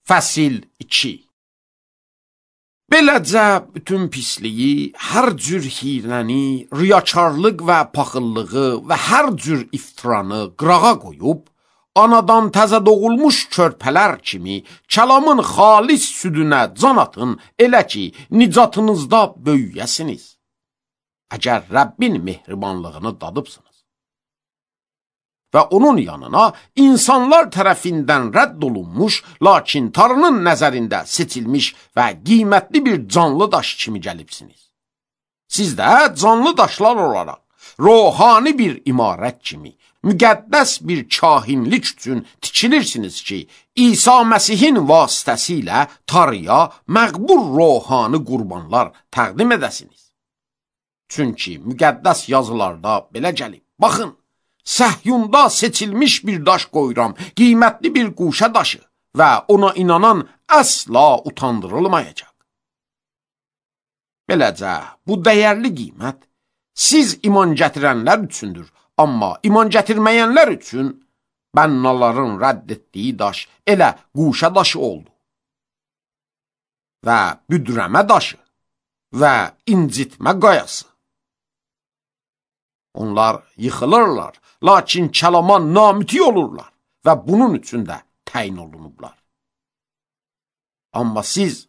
Fəsil 2. Beləcə bütün pisliyi, hər cür hirəni, riyakarlıq və paxıllığı və hər cür iftiranı qırağa qoyub, anadan təzə doğulmuş körpələr kimi kəlamın xalis südünə can atın, elə ki, nicatınızda böyüyəsiniz. Əgər Rəbbin mehribanlığını dadıbsınız. Və onun yanına insanlar tərəfindən rədd olunmuş, lakin Tanrının nəzərində seçilmiş və qiymətli bir canlı daş kimi gəlibsiniz. Siz də canlı daşlar olaraq, ruhani bir imarət kimi, müqəddəs bir kahinlik üçün tikilirsiniz ki, İsa Məsihin vasitəsilə Tanrıya məqbul ruhani qurbanlar təqdim edəsiniz. Çünki müqəddəs yazılarda belə gəlib, baxın, Səhyunda seçilmiş bir daş qoyuram, qiymətli bir quşa daşı və ona inanan əsla utandırılmayacaq. Beləcə, bu dəyərli qiymət siz iman gətirənlər üçündür, amma iman gətirməyənlər üçün bənnaların rədd etdiyi daş elə quşa daşı oldu. Və büdrəmə daşı və incitmə qayası. Onlar yıxılırlar, lakin kəlama namüti olurlar və bunun üçün də təyin olunublar. Amma siz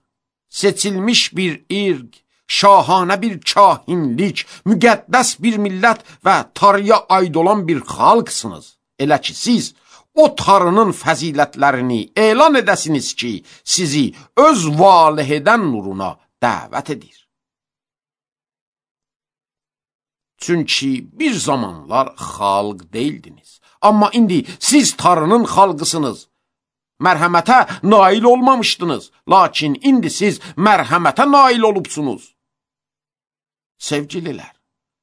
seçilmiş bir irq, şahanə bir kahinlik, müqəddəs bir millət və Tanrıya aid olan bir xalqsınız. Elə ki, siz o Tanrının fəzilətlərini elan edəsiniz ki, sizi öz valihedən nuruna dəvət edir. Çünki bir zamanlar xalq deyildiniz. Amma indi siz Tanrının xalqısınız. Mərhəmətə nail olmamışdınız. Lakin indi siz mərhəmətə nail olubsunuz. Sevgililər,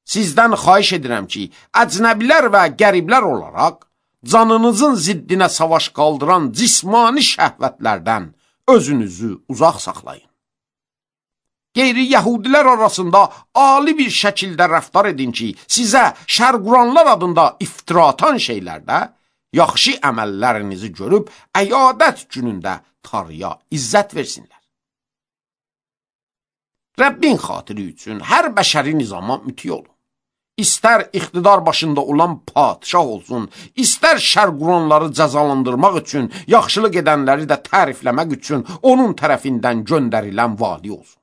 sizdən xahiş edirəm ki, əcnəbilər və qəriblər olaraq, canınızın ziddinə savaş qaldıran cismani şəhvətlərdən özünüzü uzaq saxlayın. Qeyri-yəhudilər arasında ali bir şəkildə rəftar edin ki, sizə şərquranlar adında iftira atan şeylərdə yaxşı əməllərinizi görüb, əyadət günündə Tanrıya izzət versinlər. Rəbbin xatiri üçün hər bəşəri nizama müti olun. İstər iqtidar başında olan padişah olsun, istər şərquranları cəzalandırmaq üçün, yaxşılıq edənləri də tərifləmək üçün onun tərəfindən göndərilən vali olsun.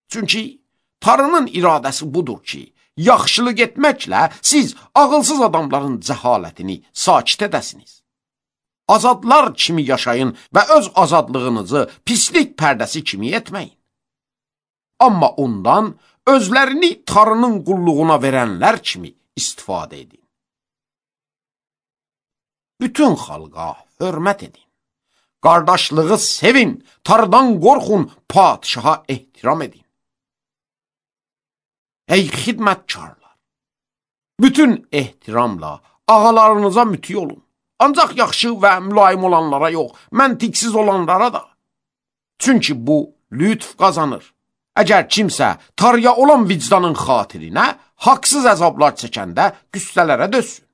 Çünki Tanrının iradəsi budur ki, yaxşılıq etməklə siz ağılsız adamların cəhalətini sakit edəsiniz. Azadlar kimi yaşayın və öz azadlığınızı pislik pərdəsi kimi etməyin. Amma ondan özlərini Tanrının qulluğuna verənlər kimi istifadə edin. Bütün xalqa hörmət edin. Qardaşlığı sevin, Tanrıdan qorxun, padişaha ehtiram edin. Ey xidmətkarlar, bütün ehtiramla ağalarınıza müti olun. Ancaq yaxşı və mülayim olanlara yox, məntiqsiz olanlara da. Çünki bu lütf qazanır. Əgər kimsə Tanrıya olan vicdanın xatirinə haqsız əzablar çəkəndə qüssələrə dözsün.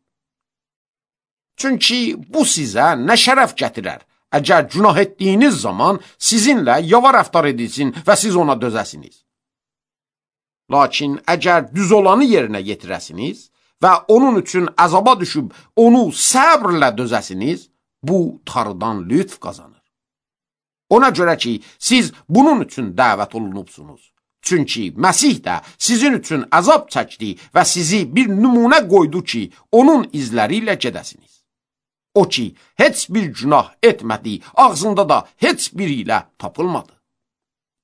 Çünki bu sizə nə şərəf gətirər, əgər günah etdiyiniz zaman sizinlə yava rəftar edilsin və siz ona dözəsiniz. Lakin əgər düz olanı yerinə yetirəsiniz və onun üçün əzaba düşüb onu səbrlə dözəsiniz, bu Tanrıdan lütf qazanır. Ona görə ki, siz bunun üçün dəvət olunubsunuz. Çünki Məsih də sizin üçün əzab çəkdi və sizi bir nümunə qoydu ki, onun izləri ilə gedəsiniz. O ki, heç bir günah etmədi, ağzında da heç biri ilə tapılmadı.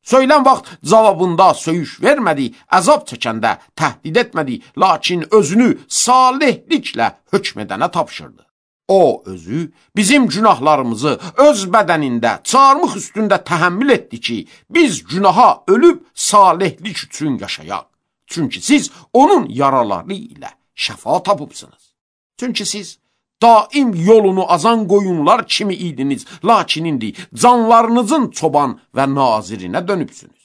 Söylən vaxt cavabında söyüş vermədi, əzab çəkəndə təhdid etmədi, lakin özünü salihliklə hökm edənə tapşırdı. O özü bizim günahlarımızı öz bədənində çarmıx üstündə təhəmmül etdi ki, biz günaha ölüb salihlik üçün yaşayaq. Çünki siz onun yaraları ilə şəfa tapıbsınız. Çünki siz daim yolunu azan qoyunlar kimi idiniz, lakin indi canlarınızın çoban və nazirinə dönübsünüz.